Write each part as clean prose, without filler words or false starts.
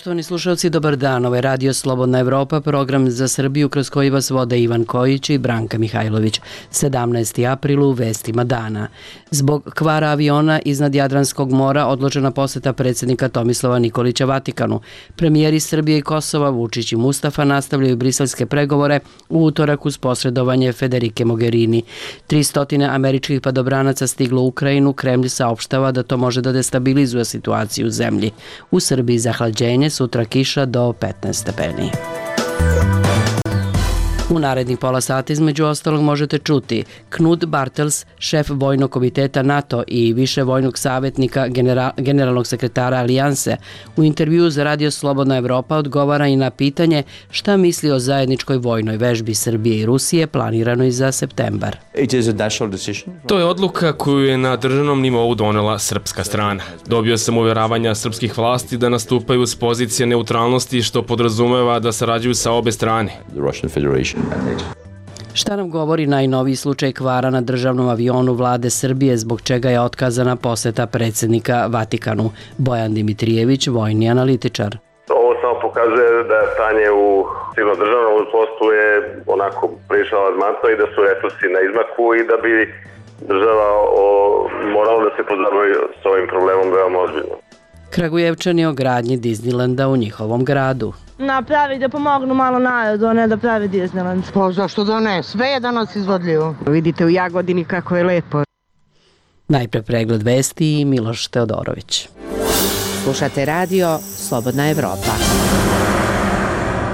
Poštovani slušalci, dobar dan. Ovo je Radio Slobodna Evropa, program za Srbiju kroz koji vas vode Ivan Kojić i Branka Mihajlović. 17. april u vestima dana. Zbog kvara aviona iznad Jadranskog mora odložena poseta predsjednika Tomislava Nikolića Vatikanu. Premijeri Srbije i Kosova Vučić i Mustafa nastavljaju briselske pregovore u utorak uz posredovanje Federike Mogherini. 300 američkih padobranaca stiglo u Ukrajinu. Kremlj saopštava da to može da destabilizuje situaciju u zemlji. U Srbiji zahlađenje, sutra kiša do 15 stepeni. U narednih pola sata između ostalog možete čuti Knut Bartels, šef vojnog komiteta NATO i više vojnog savjetnika generalnog sekretara Alijanse, u intervjuu za Radio Slobodna Evropa odgovara i na pitanje šta misli o zajedničkoj vojnoj vežbi Srbije i Rusije planiranoj za septembar. To je odluka koju je na državnom nivou donela srpska strana. Dobio sam uvjeravanja srpskih vlasti da nastupaju s pozicije neutralnosti, što podrazumeva da sarađuju sa obe strane. Šta nam govori najnoviji slučaj kvara na državnom avionu vlade Srbije, zbog čega je otkazana poseta predsjednika Vatikanu? Bojan Dimitrijević, vojni analitičar. Ovo samo pokazuje da stanje u civilnom državnom poslu je onako prilično alarmantno i da su resursi na izmaku i da bi država morala da se pozabavi s ovim problemom veoma ozbiljno. Kragujevčani o gradnji Disneylanda u njihovom gradu. Napravi da pomognu malo narodu, a ne da pravi Disneyland. Pa zašto da ne? Sve je danas izvodljivo. Vidite u Jagodini kako je lepo. Najpre pregled vesti i Miloš Teodorović. Slušate radio Slobodna Evropa.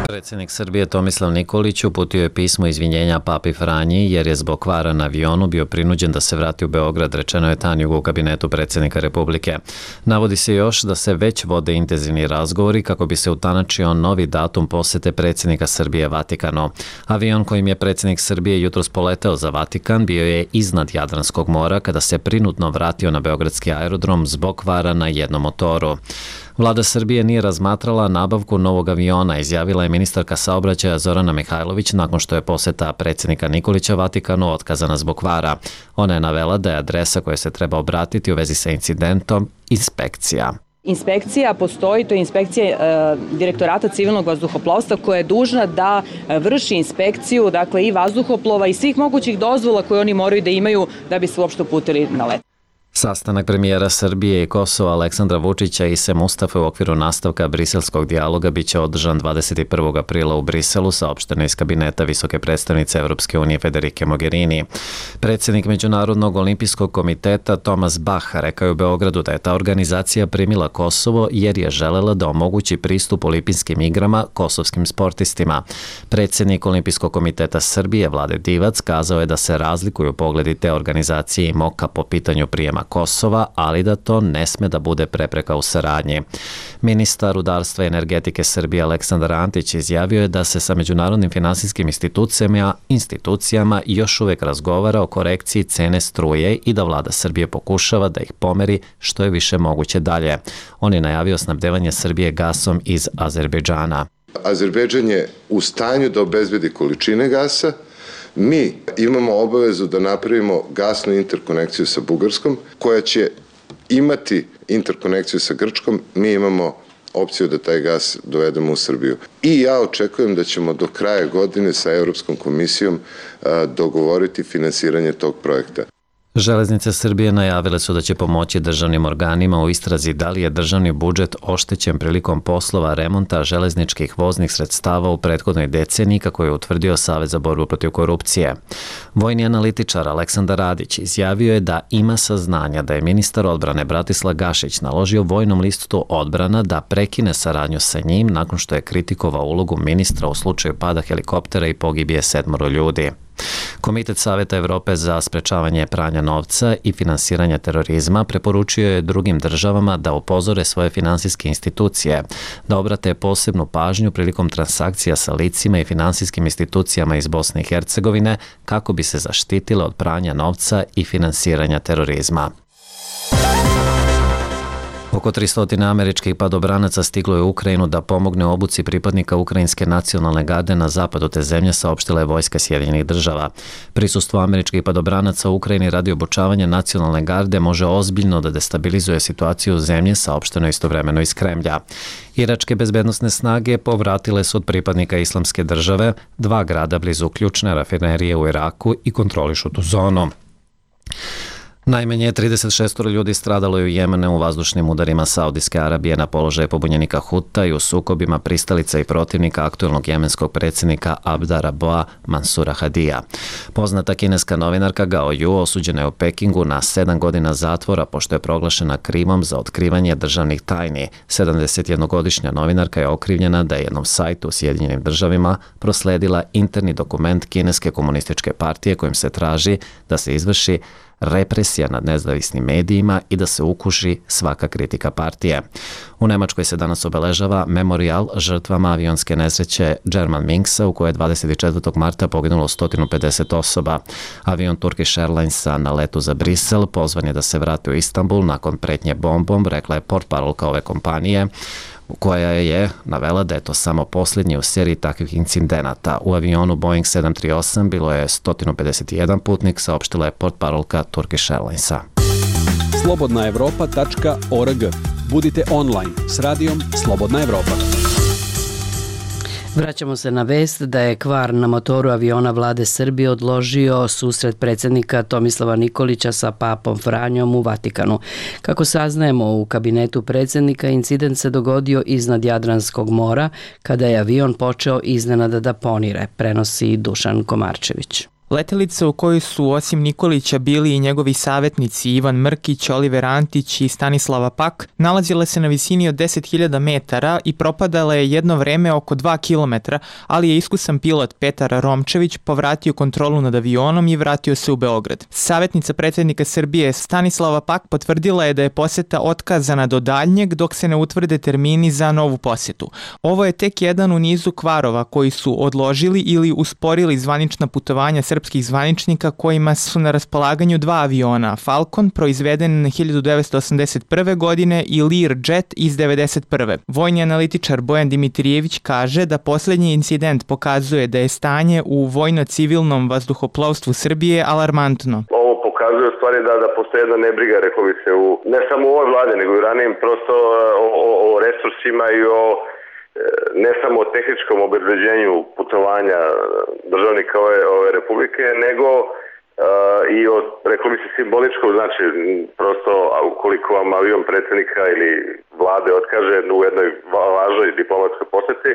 Predsjednik Srbije Tomislav Nikolić uputio je pismo izvinjenja Papi Franji jer je zbog kvara na avionu bio prinuđen da se vrati u Beograd, rečeno je Tanjugu u kabinetu predsjednika Republike. Navodi se još da se već vode intenzivni razgovori kako bi se utanačio novi datum posete predsjednika Srbije Vatikanu. Avion kojim je predsjednik Srbije jutros poleteo za Vatikan bio je iznad Jadranskog mora kada se prinudno vratio na beogradski aerodrom zbog kvara na jednom motoru. Vlada Srbije nije razmatrala nabavku novog aviona, izjavila je ministarka saobraćaja Zorana Mihajlović nakon što je poseta predsjednika Nikolića Vatikanu otkazana zbog kvara. Ona je navela da je adresa koja se treba obratiti u vezi sa incidentom inspekcija. Inspekcija postoji, to je inspekcija Direktorata civilnog vazduhoplovstva koja je dužna da vrši inspekciju, dakle i vazduhoplova i svih mogućih dozvola koje oni moraju da imaju da bi se uopšte uputili na let. Sastanak premijera Srbije i Kosova Aleksandra Vučića i Se Mustafe u okviru nastavka briselskog dijaloga biće održan 21. aprila u Briselu, saopšteno iz kabineta visoke predstavnice Evropske unije Federike Mogherini. Predsjednik Međunarodnog olimpijskog komiteta Thomas Bach rekao je u Beogradu da je ta organizacija primila Kosovo jer je želela da omogući pristup olimpijskim igrama kosovskim sportistima. Predsjednik Olimpijskog komiteta Srbije Vlade Divac kazao je da se razlikuju pogledi te organizacije i MOKA po pitanju prijema Kosova, ali da to ne sme da bude prepreka u saradnji. Ministar rudarstva i energetike Srbije Aleksandar Antić izjavio je da se sa međunarodnim finansijskim institucijama još uvek razgovara o korekciji cene struje i da vlada Srbije pokušava da ih pomeri što je više moguće dalje. On je najavio snabdevanje Srbije gasom iz Azerbejdžana. Azerbejdžan je u stanju da obezbedi količine gasa. Mi imamo obavezu da napravimo gasnu interkonekciju sa Bugarskom, koja će imati interkonekciju sa Grčkom. Mi imamo opciju da taj gas dovedemo u Srbiju. I ja očekujem da ćemo do kraja godine sa Europskom komisijom dogovoriti finansiranje tog projekta. Železnice Srbije najavile su da će pomoći državnim organima u istrazi da li je državni budžet oštećen prilikom poslova remonta železničkih voznih sredstava u prethodnoj deceniji, kako je utvrdio Savez za borbu protiv korupcije. Vojni analitičar Aleksandar Radić izjavio je da ima saznanja da je ministar odbrane Bratislav Gašić naložio vojnom listu odbrana da prekine saradnju sa njim nakon što je kritikovao ulogu ministra u slučaju pada helikoptera i pogibije 7 ljudi. Komitet Saveta Evrope za sprečavanje pranja novca i finansiranja terorizma preporučio je drugim državama da upozore svoje finansijske institucije, da obrate posebnu pažnju prilikom transakcija sa licima i finansijskim institucijama iz Bosne i Hercegovine kako bi se zaštitile od pranja novca i finansiranja terorizma. Oko 300 američkih padobranaca stiglo je u Ukrajinu da pomogne obuci pripadnika Ukrajinske nacionalne garde na zapadu te zemlje, saopštila je vojska Sjedinjenih država. Prisustvo američkih padobranaca u Ukrajini radi obučavanja nacionalne garde može ozbiljno da destabilizuje situaciju u zemlji, saopšteno istovremeno iz Kremlja. Iračke bezbednosne snage povratile su od pripadnika Islamske države 2 grada blizu ključne rafinerije u Iraku i kontrolišu tu zonu. Najmanje 36 ljudi stradalo je u Jemenu u vazdušnim udarima Saudijske Arabije na položaje pobunjenika Huta i u sukobima pristalica i protivnika aktuelnog jemenskog predsjednika Abda Raboa Mansura Hadija. Poznata kineska novinarka Gao Yu osuđena je u Pekingu na 7 godina zatvora pošto je proglašena krivom za otkrivanje državnih tajni. 71-godišnja novinarka je okrivljena da je jednom sajtu u Sjedinjenim državama prosledila interni dokument Kineske komunističke partije kojim se traži da se izvrši represija nad nezavisnim medijima i da se ukuši svaka kritika partije. U Nemačkoj se danas obeležava memorijal žrtvama avionske nesreće Germanwingsa u kojoj je 24. marta poginulo 150 osoba. Avion Turkish Airlinesa na letu za Brisel pozvan je da se vrati u Istanbul nakon pretnje bombom, rekla je portparolka ove kompanije, koja je navela da je to samo posljednji u seriji takvih incidenata. U avionu Boeing 738 bilo je 151 putnik, saopštila je portparolka Turkish Airlinesa. slobodnaevropa.org. Budite online s radijom Slobodna Evropa. Vraćamo se na vest da je kvar na motoru aviona vlade Srbije odložio susret predsjednika Tomislava Nikolića sa papom Franjom u Vatikanu. Kako saznajemo u kabinetu predsjednika, incident se dogodio iznad Jadranskog mora kada je avion počeo iznenada da ponire, prenosi Dušan Komarčević. Letelica u kojoj su osim Nikolića bili i njegovi savjetnici Ivan Mrkić, Oliver Antić i Stanislava Pak, nalazila se na visini od 10.000 metara i propadala je jedno vreme oko 2 kilometra, ali je iskusan pilot Petar Romčević povratio kontrolu nad avionom i vratio se u Beograd. Savjetnica predsjednika Srbije Stanislava Pak potvrdila je da je posjeta otkazana do daljnjeg dok se ne utvrde termini za novu posjetu. Ovo je tek jedan u nizu kvarova koji su odložili ili usporili zvanična putovanja srpskih zvaničnika kojima su na raspolaganju 2 aviona, Falcon proizveden 1981. godine i Learjet iz 1991. Vojni analitičar Bojan Dimitrijević kaže da posljednji incident pokazuje da je stanje u vojno-civilnom vazduhoplovstvu Srbije alarmantno. Ovo pokazuje u stvari da postoje jedna nebriga, rekao bih se, ne samo u ovoj vladi, nego i ranijim prosto o resursima i o ne samo o tehničkom obezbeđenju putovanja državnika ove republike, nego i o, rekao bi se, simboličkom, znači prosto ukoliko vam avion predsjednika ili vlade otkaže u jednoj važnoj diplomatskoj posjeti,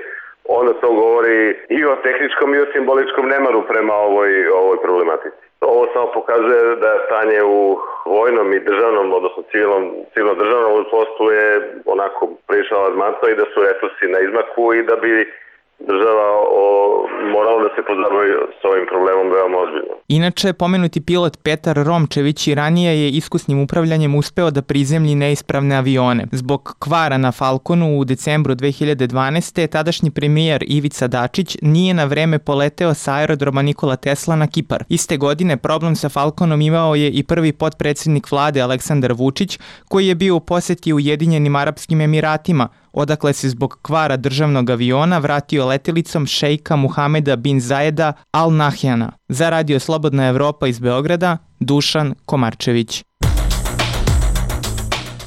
onda to govori i o tehničkom i o simboličkom nemaru prema ovoj problematici. Ovo samo pokazuje da je stanje u vojnom i državnom, odnosno civilno-državnom poslu je onako prilično alarmantno i da su resursi na izmaku i da bi država morala da se pozabavi s ovim problemom veoma ozbiljno. Inače, pomenuti pilot Petar Romčević i ranije je iskusnim upravljanjem uspeo da prizemlji neispravne avione. Zbog kvara na Falconu u decembru 2012. tadašnji premijer Ivica Dačić nije na vreme poleteo sa aerodroma Nikola Tesla na Kipar. Iste godine problem sa Falconom imao je i prvi potpredsjednik vlade Aleksandar Vučić, koji je bio u posjeti Ujedinjenim Arapskim Emiratima, odakle se zbog kvara državnog aviona vratio letelicom šejka Muhameda bin Zajeda Al Nahyana. Za Radio Slobodna Evropa iz Beograda, Dušan Komarčević.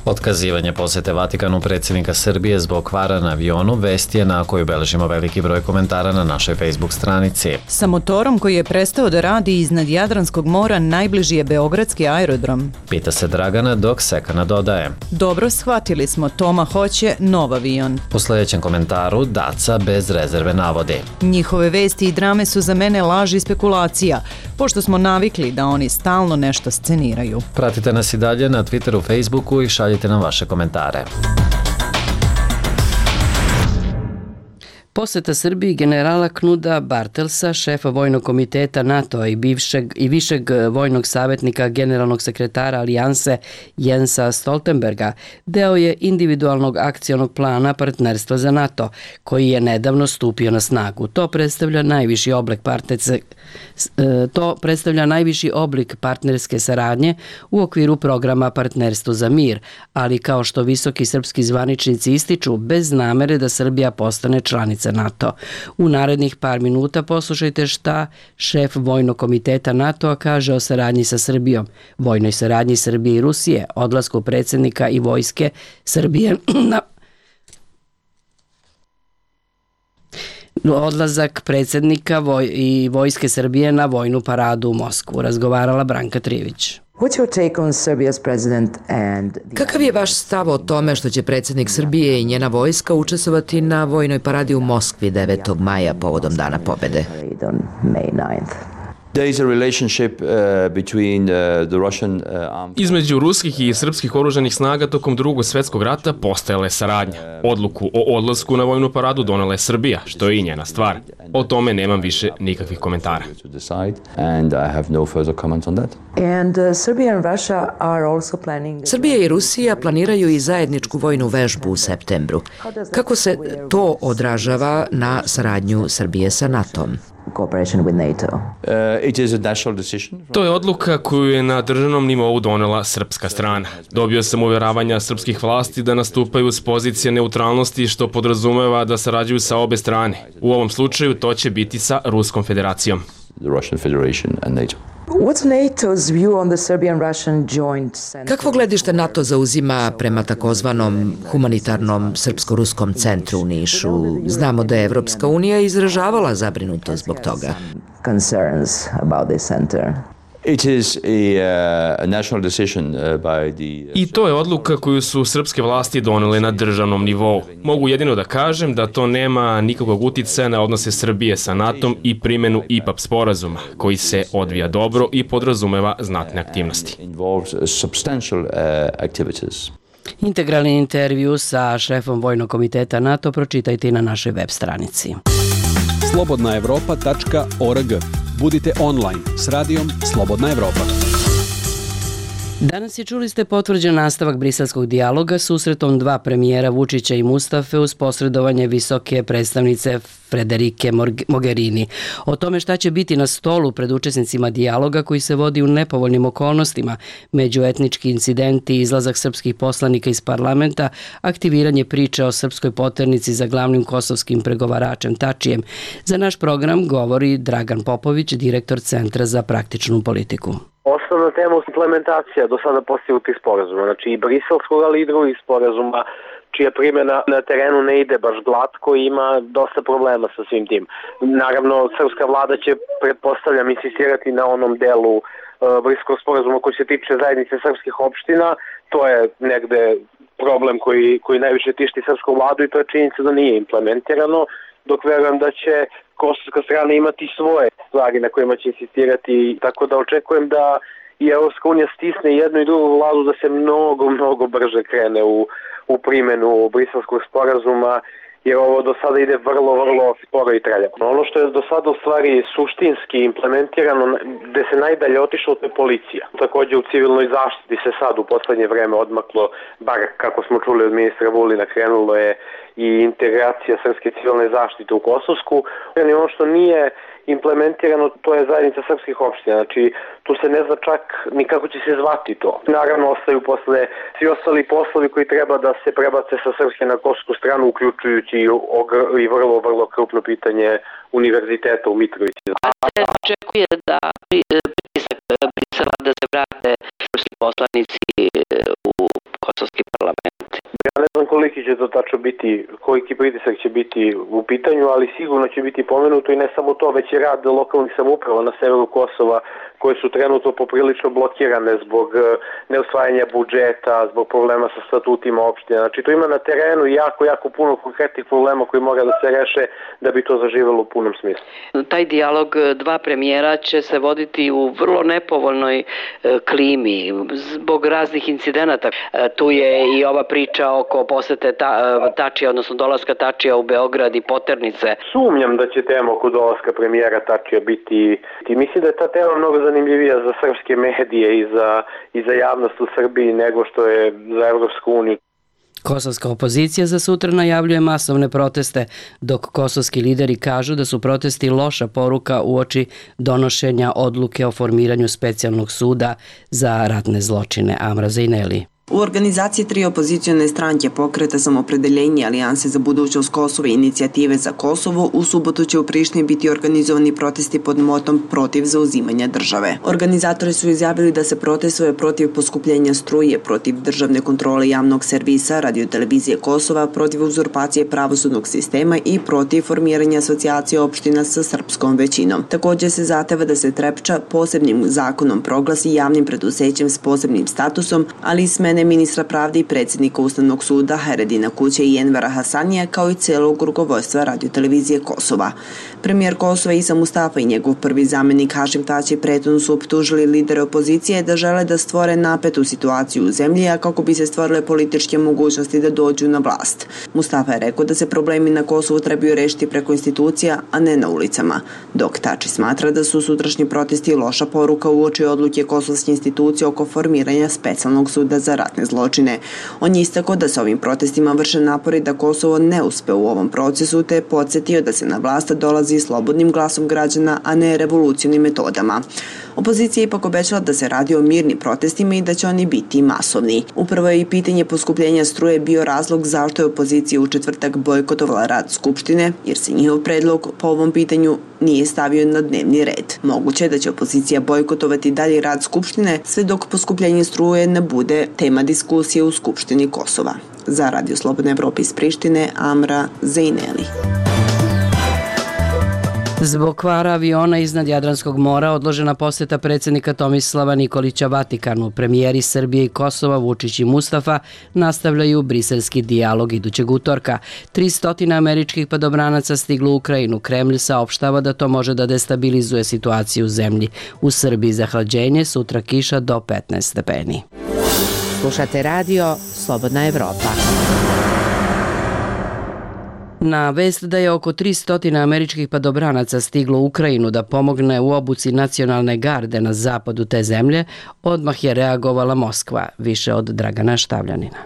Otkazivanje posjete Vatikanu predsjednika Srbije zbog kvara na avionu vest je na koju beležimo veliki broj komentara na našoj Facebook stranici. Sa motorom koji je prestao da radi iznad Jadranskog mora najbliži je beogradski aerodrom. Pita se Dragana dok Sekana dodaje. Dobro, shvatili smo, Toma hoće nov avion. Po sljedećem komentaru Daca bez rezerve navodi. Njihove vesti i drame su za mene laž i spekulacija, pošto smo navikli da oni stalno nešto sceniraju. Pratite nas i dalje na Twitteru, Facebooku i šaljite nam vaše komentare. Poseta Srbiji generala Knuda Bartelsa, šefa vojnog komiteta NATO-a i višeg vojnog savjetnika generalnog sekretara Alijanse Jensa Stoltenberga, deo je individualnog akcionog plana partnerstva za NATO, koji je nedavno stupio na snagu. To predstavlja najviši oblik partnerske saradnje u okviru programa Partnerstvo za mir, ali kao što visoki srpski zvaničnici ističu, bez namere da Srbija postane članica NATO. U narednih par minuta poslušajte šta šef vojnog komiteta NATO-a kaže o saradnji sa Srbijom, vojnoj saradnji Srbije i Rusije, odlasku predsjednika i vojske Srbije na odlazak predsjednika i vojske Srbije na vojnu paradu u Moskvu. Razgovarala Branka Trivić. Kakav je vaš stav o tome što će predsjednik Srbije i njena vojska učestvovati na vojnoj paradi u Moskvi 9. maja povodom Dana pobjede? Između ruskih i srpskih oružanih snaga tokom Drugog svjetskog rata postojala je saradnja. Odluku o odlasku na vojnu paradu donela je Srbija, što je i njena stvar. O tome nemam više nikakvih komentara. Srbija i Rusija planiraju i zajedničku vojnu vežbu u septembru. Kako se to odražava na saradnju Srbije sa NATO-om? To je odluka koju je na državnom nivou donela srpska strana. Dobio sam uvjeravanja srpskih vlasti da nastupaju s pozicije neutralnosti, što podrazumeva da sarađuju sa obe strane. U ovom slučaju to će biti sa Ruskom federacijom. Kakvo gledište NATO zauzima prema takozvanom humanitarnom srpsko-ruskom centru u Nišu? Znamo da je Evropska unija izražavala zabrinutost zbog toga. I to je odluka koju su srpske vlasti donele na državnom nivou. Mogu jedino da kažem da to nema nikakvog uticaja na odnose Srbije sa NATO-om i primjenu IPAP sporazuma, koji se odvija dobro i podrazumeva znatne aktivnosti. Integralni intervju sa šefom vojnog komiteta NATO pročitajte i na našoj web stranici. slobodnaevropa.org. Budite online s radijom Slobodna Evropa. Danas je, čuli ste, potvrđen nastavak briselskog dijaloga susretom dva premijera Vučića i Mustafe uz posredovanje visoke predstavnice Frederike Mogherini. O tome šta će biti na stolu pred učesnicima dijaloga koji se vodi u nepovoljnim okolnostima, međuetnički incidenti, izlazak srpskih poslanika iz parlamenta, aktiviranje priče o srpskoj poternici za glavnim kosovskim pregovaračem Tačijem. Za naš program govori Dragan Popović, direktor Centra za praktičnu politiku. Osnovna tema je implementacija do sada postignutih sporazuma, znači i briselskog, ali i drugih sporazuma, čija primjena na terenu ne ide baš glatko i ima dosta problema sa svim tim. Naravno, srpska vlada će, pretpostavljam, insistirati na onom delu briselskog sporazuma koji se tiče zajednice srpskih opština. To je negde problem koji najviše tišti srpsku vladu i to je činjenica da nije implementirano, dok verujem da će kosovska strana imati svoje stvari na kojima će insistirati, tako da očekujem da i Evropska unija stisne jednu i drugu vladu da se mnogo brže krene u primjenu briselskog sporazuma, jer ovo do sada ide vrlo sporo i traljavo. Ono što je do sada u stvari suštinski implementirano, gde se najdalje otišlo, to je policija. Također u civilnoj zaštiti se sad u poslednje vreme odmaklo, bar kako smo čuli od ministra Vulina, krenulo je i integracija srpske civilne zaštite u Kosovsku. I ono što nije implementirano, to je zajednica srpskih opština. Znači, tu se ne zna čak ni kako će se zvati to. Naravno, ostaju posle svi ostali poslovi koji treba da se prebace sa srpske na kosovsku stranu, uključujući i vrlo krupno pitanje univerziteta u Mitrovici. A se očekuje da pritisak Brisela da se vrate srpski poslanici u kosovski parlament. Ja ne znam koliki će to tačno biti, koliki pritisak će biti u pitanju, ali sigurno će biti pomenuto i ne samo to, već i rad lokalnih samouprava na severu Kosova, koje su trenutno poprilično blokirane zbog neusvajanja budžeta, zbog problema sa statutima opština. Znači, to ima na terenu jako puno konkretnih problema koji mora da se reše da bi to zaživelo u punom smislu. Taj dijalog dva premijera će se voditi u vrlo nepovoljnoj klimi zbog raznih incidenata. Tu je i ova priča oko posete Tačija, odnosno dolaska Tačija u Beograd i poternice. Sumnjam da će tema oko dolaska premijera Tačija biti, mislim da je ta tema mnogo zanimljivija za srpske medije i za javnost u Srbiji nego što je za Evropsku uniju. Kosovska opozicija za sutra najavljuje masovne proteste, dok kosovski lideri kažu da su protesti loša poruka uoči donošenja odluke o formiranju specijalnog suda za ratne zločine. Amra Zejneli. U organizaciji 3 opozicione stranke Pokreta Samopredeljenje, Alijanse za budućnost Kosova i Inicijative za Kosovo u subotu će u Prištini biti organizovani protesti pod motom protiv zauzimanja države. Organizatori su izjavili da se protestuje protiv poskupljenja struje, protiv državne kontrole javnog servisa, radiotelevizije Kosova, protiv uzurpacije pravosudnog sistema i protiv formiranja asocijacije opština sa srpskom većinom. Također se zahteva da se Trepča posebnim zakonom proglasi javnim preduzećem s posebnim statusom, ali i smene ministra pravde i predsjednika Ustavnog suda Haredina Kuće i Envera Hasanija, kao i celog rukovodstva radiotelevizije Kosova. Premijer Kosova Isa Mustafa i njegov prvi zamjenik Hašim Tači prethodno su optužili lidere opozicije da žele da stvore napetu situaciju u zemlji, a kako bi se stvorile političke mogućnosti da dođu na vlast. Mustafa je rekao da se problemi na Kosovu trebaju rešiti preko institucija, a ne na ulicama, dok Tači smatra da su sutrašnji protesti loša poruka uoči odluke kosovske institucije oko formiranja specijalnog suda za ratne zločine. On je istakao da se ovim protestima vrše napori da Kosovo ne uspe u ovom procesu, te je podsjetio da se na vlast dolazi slobodnim glasom građana, a ne revolucionim metodama. Opozicija je ipak obećala da se radi o mirnim protestima i da će oni biti masovni. Upravo je i pitanje poskupljenja struje bio razlog zašto je opozicija u četvrtak bojkotovala rad Skupštine, jer se njihov predlog po ovom pitanju nije stavio na dnevni red. Moguće je da će opozicija bojkotovati dalje rad Skupštine sve dok poskupljenje struje ne bude tema diskusije u Skupštini Kosova. Za Radio Slobodna Evropa iz Prištine, Amra Zejneli. Zbog kvara aviona iznad Jadranskog mora odložena posjeta predsjednika Tomislava Nikolića Vatikanu. Premijeri Srbije i Kosova Vučić i Mustafa nastavljaju briselski dijalog idućeg utorka. 300 američkih padobranaca stiglo u Ukrajinu. Kremlj saopštava da to može da destabilizuje situaciju u zemlji. U Srbiji zahlađenje, sutra kiša do 15 stepeni. Slušate radio Slobodna Evropa. Na vest da je oko 300 američkih padobranaca stiglo u Ukrajinu da pomogne u obuci nacionalne garde na zapadu te zemlje, odmah je reagovala Moskva, više od Dragana Štavljanina.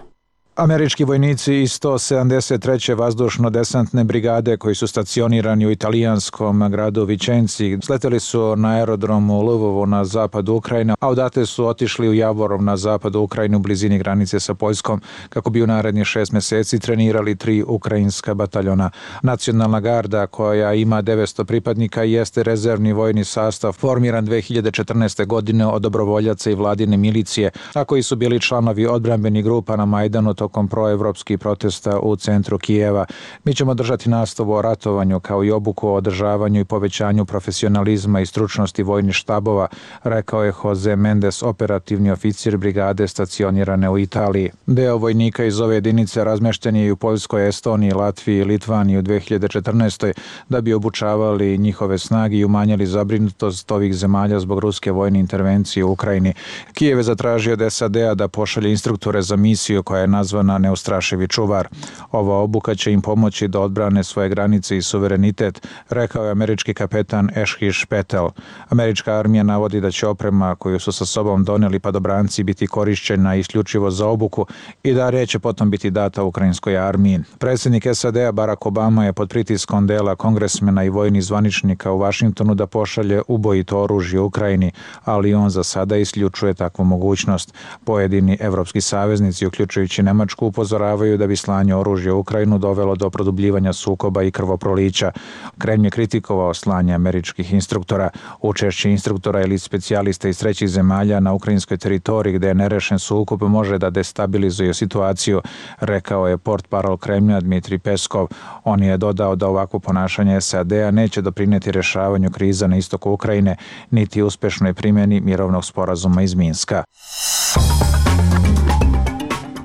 Američki vojnici iz 173. vazdušno-desantne brigade koji su stacionirani u italijanskom gradu Vičenci sleteli su na aerodromu u Lvovu na zapadu Ukrajine, a odatle su otišli u Javorov na zapadu Ukrajine u blizini granice sa Poljskom kako bi u narednih 6 meseci trenirali 3 ukrajinska bataljona. Nacionalna garda koja ima 900 pripadnika jeste rezervni vojni sastav formiran 2014. godine od dobrovoljaca i vladine milicije, a koji su bili članovi odbrambenih grupa na Majdanu tokom proevropskih protesta u centru Kijeva. Mi ćemo držati nastavu o ratovanju kao i obuku o održavanju i povećanju profesionalizma i stručnosti vojnih štabova, rekao je Jose Mendes, operativni oficir brigade stacionirane u Italiji. Deo vojnika iz ove jedinice razmešten je i u Poljskoj, Estoniji, Latviji i Litvaniji u 2014. da bi obučavali njihove snage i umanjili zabrinutost ovih zemalja zbog ruske vojne intervencije u Ukrajini. Kijev je zatražio od SAD-a da pošalje instruktore za misiju koja je nazvana Neustrašivi čuvar. Ova obuka će im pomoći da odbrane svoje granice i suverenitet, rekao je američki kapetan Ešhiš Petel. Američka armija navodi da će oprema koju su sa sobom doneli padobranci biti korišćena isključivo za obuku i da neće potom biti data ukrajinskoj armiji. Predsjednik SAD-a Barack Obama je pod pritiskom dela kongresmena i vojnih zvaničnika u Vašingtonu da pošalje ubojito oružje Ukrajini, ali on za sada isključuje takvu mogućnost. Pojedini evropski saveznici, uključujući Nemačku, upozoravaju da bi slanje oružja u Ukrajinu dovelo do produbljivanja sukoba i krvoprolića. Kremlj je kritikovao slanje američkih instruktora. Učešće instruktora ili specijalista iz trećih zemalja na ukrajinskoj teritoriji gde je nerešen sukob može da destabilizuje situaciju, rekao je portparol Kremlja Dmitrij Peskov. On je dodao da ovakvo ponašanje SAD-a neće doprineti rešavanju kriza na istoku Ukrajine, niti uspešnoj primjeni mirovnog sporazuma iz Minska.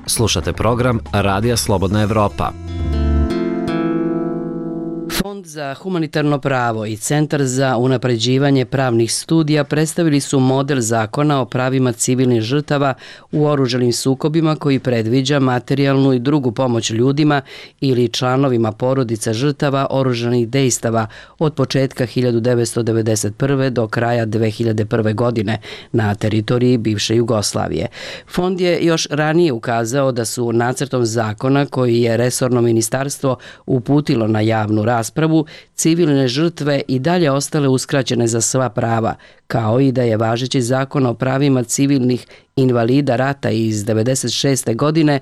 Slušate program Radija Slobodna Evropa. Fond Fond za humanitarno pravo i Centar za unapređivanje pravnih studija predstavili su model zakona o pravima civilnih žrtava u oružanim sukobima koji predviđa materijalnu i drugu pomoć ljudima ili članovima porodica žrtava oružanih dejstava od početka 1991. do kraja 2001. godine na teritoriji bivše Jugoslavije. Fond je još ranije ukazao da su nacrtom zakona koji je resorno ministarstvo uputilo na javnu raspravu, civilne žrtve i dalje ostale uskraćene za sva prava, kao i da je važeći zakon o pravima civilnih invalida rata iz 1996. godine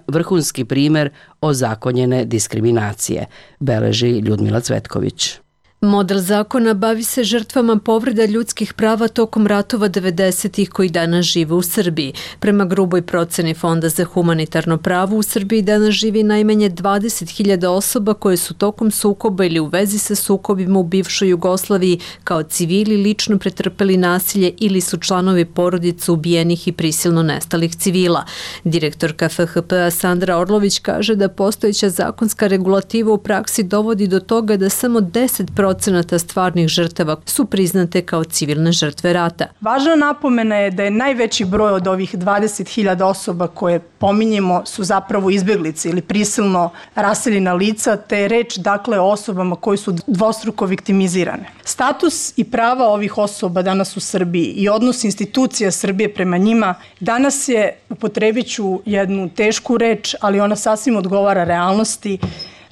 vrhunski primer ozakonjene diskriminacije, beleži Ljudmila Cvetković. Model zakona bavi se žrtvama povreda ljudskih prava tokom ratova 90-ih koji danas žive u Srbiji. Prema gruboj proceni Fonda za humanitarno pravo u Srbiji danas živi najmanje 20.000 osoba koje su tokom sukoba ili u vezi sa sukobima u bivšoj Jugoslaviji kao civili lično pretrpeli nasilje ili su članovi porodica ubijenih i prisilno nestalih civila. Direktorka FHP-a Sandra Orlović kaže da postojeća zakonska regulativa u praksi dovodi do toga da samo 10% stvarnih žrtava su priznate kao civilne žrtve rata. Važna napomena je da je najveći broj od ovih 20.000 osoba koje pominjemo su zapravo izbjeglice ili prisilno raseljena lica, te je reč dakle o osobama koji su dvostruko viktimizirane. Status i prava ovih osoba danas u Srbiji i odnos institucija Srbije prema njima danas je, upotrebit ću jednu tešku reč, ali ona sasvim odgovara realnosti,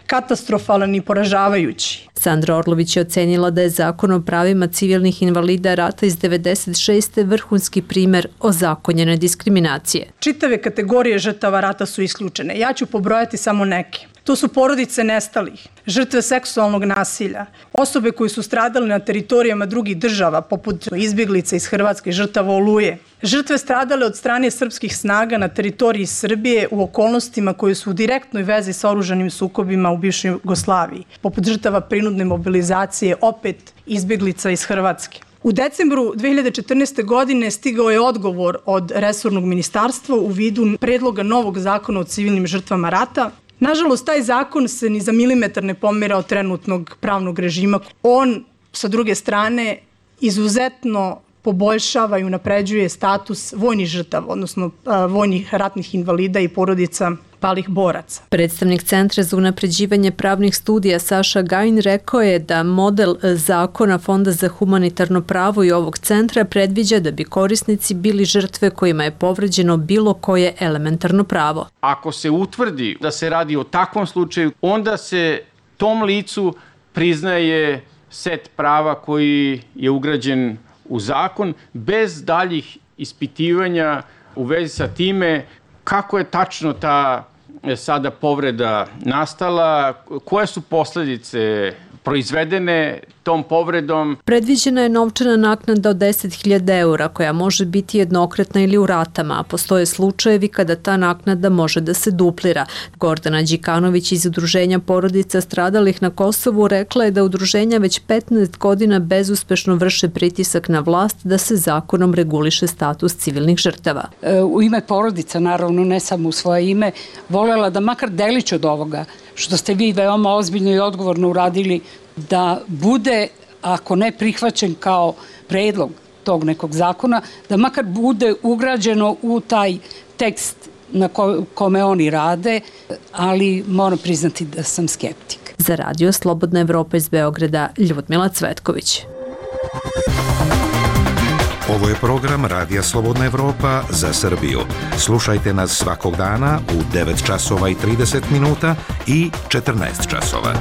katastrofalan i poražavajući. Sandra Orlović je ocenila da je zakon o pravima civilnih invalida rata iz 96. vrhunski primer ozakonjene diskriminacije. Čitave kategorije žrtava rata su isključene. Ja ću pobrojati samo neke. To su porodice nestalih, žrtve seksualnog nasilja, osobe koji su stradali na teritorijama drugih država, poput izbjeglica iz Hrvatske, žrtava Oluje, žrtve stradale od strane srpskih snaga na teritoriji Srbije u okolnostima koje su u direktnoj vezi sa oružanim sukobima u bivšoj Jugoslaviji, poput žrtava prinudne mobilizacije, opet izbjeglica iz Hrvatske. U decembru 2014. godine stigao je odgovor od resornog ministarstva u vidu predloga novog zakona o civilnim žrtvama rata. Nažalost, taj zakon se ni za milimetar ne pomera od trenutnog pravnog režima. On, sa druge strane, izuzetno poboljšava i unapređuje status vojnih žrtava, odnosno vojnih ratnih invalida i porodica palih boraca. Predstavnik Centra za unapređivanje pravnih studija Saša Gajin rekao je da model zakona Fonda za humanitarno pravo i ovog centra predviđa da bi korisnici bili žrtve kojima je povređeno bilo koje elementarno pravo. Ako se utvrdi da se radi o takvom slučaju, onda se tom licu priznaje set prava koji je ugrađen u zakon bez daljih ispitivanja u vezi sa time kako je tačno ta sada povreda nastala, koje su posledice proizvedene tom povredom. Predviđena je novčana naknada od 10.000 eura koja može biti jednokratna ili u ratama, a postoje slučajevi kada ta naknada može da se duplira. Gordana Đikanović iz Udruženja porodica stradalih na Kosovu rekla je da udruženja već 15 godina bezuspešno vrše pritisak na vlast da se zakonom reguliše status civilnih žrtava. U ime porodica, naravno ne samo u svoje ime, volela da makar delić od ovoga što ste vi veoma ozbiljno i odgovorno uradili, da bude, ako ne prihvaćen kao predlog tog nekog zakona, da makar bude ugrađeno u taj tekst na kome oni rade, ali moram priznati da sam skeptik. Za Radio Slobodna Evropa iz Beograda, Ljudmila Cvetković. Ovo je program Radija Slobodna Evropa za Srbiju. Slušajte nas svakog dana u 9 časova i 30 minuta i 14 časova.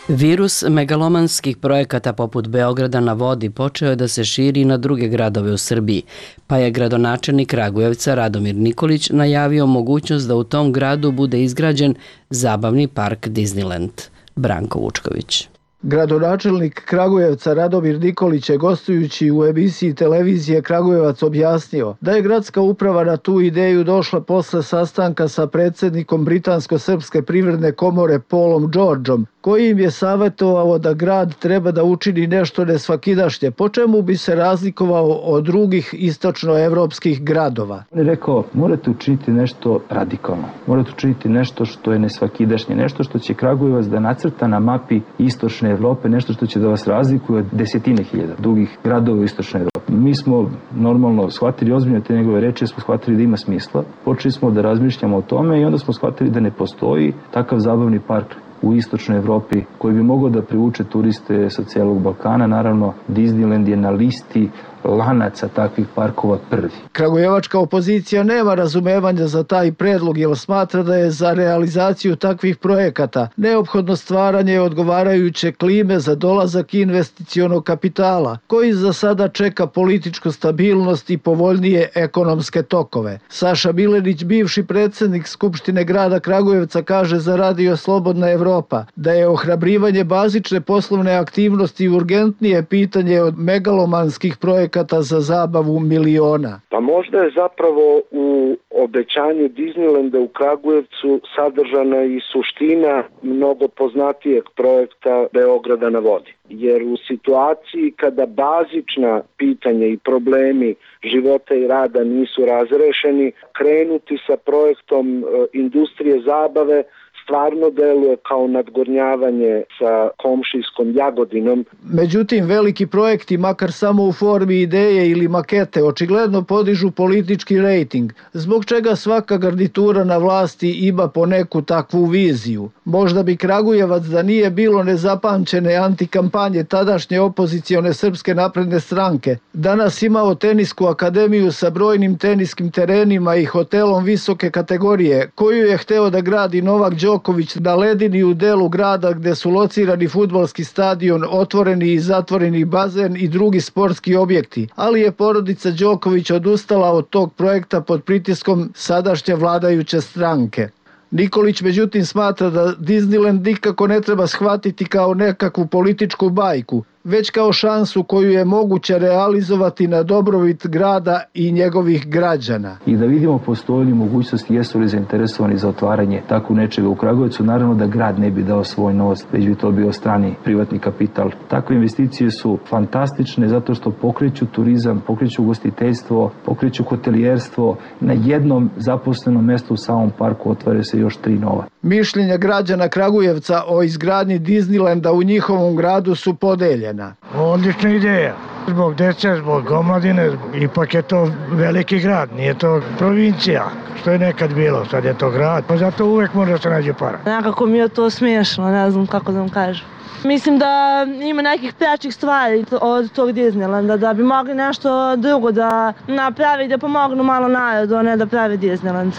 Virus megalomanskih projekata poput Beograda na vodi počeo je da se širi na druge gradove u Srbiji, pa je gradonačelnik Kragujevca Radomir Nikolić najavio mogućnost da u tom gradu bude izgrađen zabavni park Disneyland. Branko Vučković. Gradonačelnik Kragujevca Radomir Nikolić je gostujući u emisiji televizije Kragujevac objasnio da je gradska uprava na tu ideju došla posle sastanka sa predsjednikom Britansko-srpske privredne komore Paulom Georgeom, koji im je savjetovao da grad treba da učini nešto nesvakidašnje, po čemu bi se razlikovao od drugih istočnoevropskih gradova. On je rekao, morate učiniti nešto radikalno, morate učiniti nešto što je nesvakidašnje, nešto što će Kragujevac da nacrta na mapi istočne Evrope, nešto što će da vas razlikuje od desetine hiljada drugih gradova u istočnoj Evropi. Mi smo normalno shvatili ozbiljno te njegove reči, smo shvatili da ima smisla, počeli smo da razmišljamo o tome i onda smo shvatili da ne postoji takav zabavni park u istočnoj Evropi koji bi mogao da privuče turiste sa celog Balkana. Naravno, Disneyland je na listi lanaca takvih parkova prvi. Kragujevačka opozicija nema razumevanja za taj predlog jer smatra da je za realizaciju takvih projekata neophodno stvaranje odgovarajuće klime za dolazak investicionog kapitala, koji za sada čeka političku stabilnost i povoljnije ekonomske tokove. Saša Milenić, bivši predsjednik Skupštine grada Kragujevca, kaže za Radio Slobodna Evropa da je ohrabrivanje bazične poslovne aktivnosti urgentnije pitanje od megalomanskih projekata za zabavu miliona. Pa možda je zapravo u obećanju Disneylanda u Kragujevcu sadržana i suština mnogo poznatijeg projekta Beograda na vodi. Jer u situaciji kada bazična pitanja i problemi života i rada nisu razrešeni, krenuti sa projektom industrije zabave stvarno deluje kao nadgornjavanje sa komšijskom Jagodinom. Međutim, veliki projekti, makar samo u formi ideje ili makete, očigledno podižu politički rejting, zbog čega svaka garnitura na vlasti ima po neku takvu viziju. Možda bi Kragujevac, da nije bilo nezapamćene antikampanje tadašnje opozicione Srpske napredne stranke, danas imao tenisku akademiju sa brojnim teniskim terenima i hotelom visoke kategorije, koju je hteo da gradi Novak Đoković na ledini u delu grada gde su locirani fudbalski stadion, otvoreni i zatvoreni bazen i drugi sportski objekti, ali je porodica Đoković odustala od tog projekta pod pritiskom sadašnje vladajuće stranke. Nikolić međutim smatra da Disneyland nikako ne treba shvatiti kao nekakvu političku bajku, već kao šansu koju je moguće realizovati na dobrobit grada i njegovih građana. I da vidimo postoji li mogućnosti, jesu li zainteresovani za otvaranje tako nečega u Kragujevcu. Naravno da grad ne bi dao svoj novac, već bi to bio strani privatni kapital. Takve investicije su fantastične zato što pokreću turizam, pokreću ugostiteljstvo, pokreću hotelijerstvo. Na jednom zaposlenom mestu u samom parku otvore se još 3 nova. Mišljenja građana Kragujevca o izgradnji Disneylanda u njihovom gradu su podeljena. Odlična ideja. Zbog dece, zbog omladine, ipak je to veliki grad, nije to provincija, što je nekad bilo, sad je to grad, pa zato uvek može se nađe para. Nekako mi je to smiješno, ne znam kako da vam kažem. Mislim da ima nekih prećih stvari od tog Disneylanda, da bi mogli nešto drugo da napravi, da pomognu malo narodu, a ne da pravi Disneyland.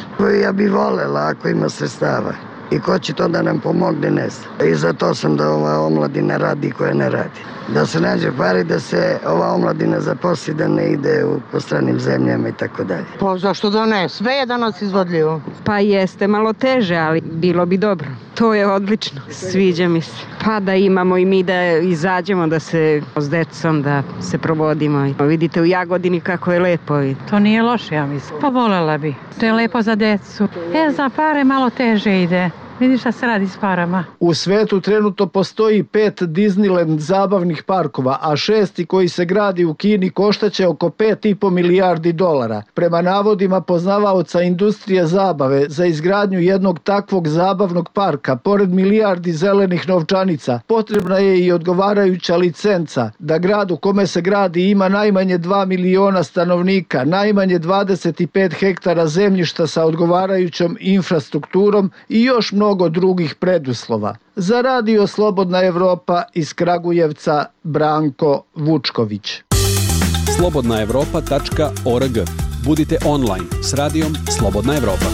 Ja bi volela ako ima sredstava. I ko će to da nam pomogne, ne znam. I zato sam da ova omladina radi koja ne radi. Da se nađe pari, da se ova omladina zaposli, da ne ide po stranim zemljama i tako dalje. Pa zašto da ne? Sve je danas izvodljivo. Pa jeste malo teže, ali bilo bi dobro. To je odlično. Sviđa mi se. Pa da imamo i mi da izađemo, da se s decom, da se provodimo. Vidite u Jagodini kako je lepo. To nije loše, ja mislim. Pa volela bi. To je lepo za decu. Za pare malo teže ide. Vidiš šta se radi s parama. U svetu trenutno postoji 5 Disneyland zabavnih parkova, a 6. koji se gradi u Kini koštaće oko $5,5 milijardi. Prema navodima poznavaoca industrije zabave, za izgradnju jednog takvog zabavnog parka, pored milijardi zelenih novčanica, potrebna je i odgovarajuća licenca da grad u kome se gradi ima najmanje 2 miliona stanovnika, najmanje 25 hektara zemljišta sa odgovarajućom infrastrukturom i još mnogo drugih preduslova. Za Radio Slobodna Evropa iz Kragujevca, Branko Vučković. slobodnaevropa.org. Budite online s radijom Slobodna Evropa.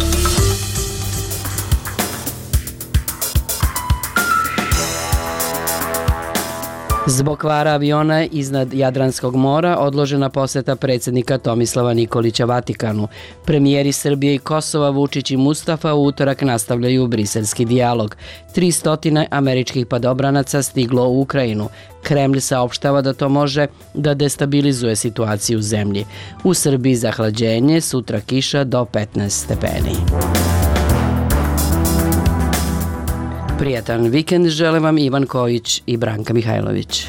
Zbog kvara aviona iznad Jadranskog mora odložena poseta predsjednika Tomislava Nikolića Vatikanu. Premijeri Srbije i Kosova Vučić i Mustafa u utorak nastavljaju briselski dijalog. 300 američkih padobranaca stiglo u Ukrajinu. Kremlj saopštava da to može da destabilizuje situaciju u zemlji. U Srbiji zahlađenje, sutra kiša do 15 stepeni. Prijatan vikend žele vam Ivan Kojić i Branka Mihajlović.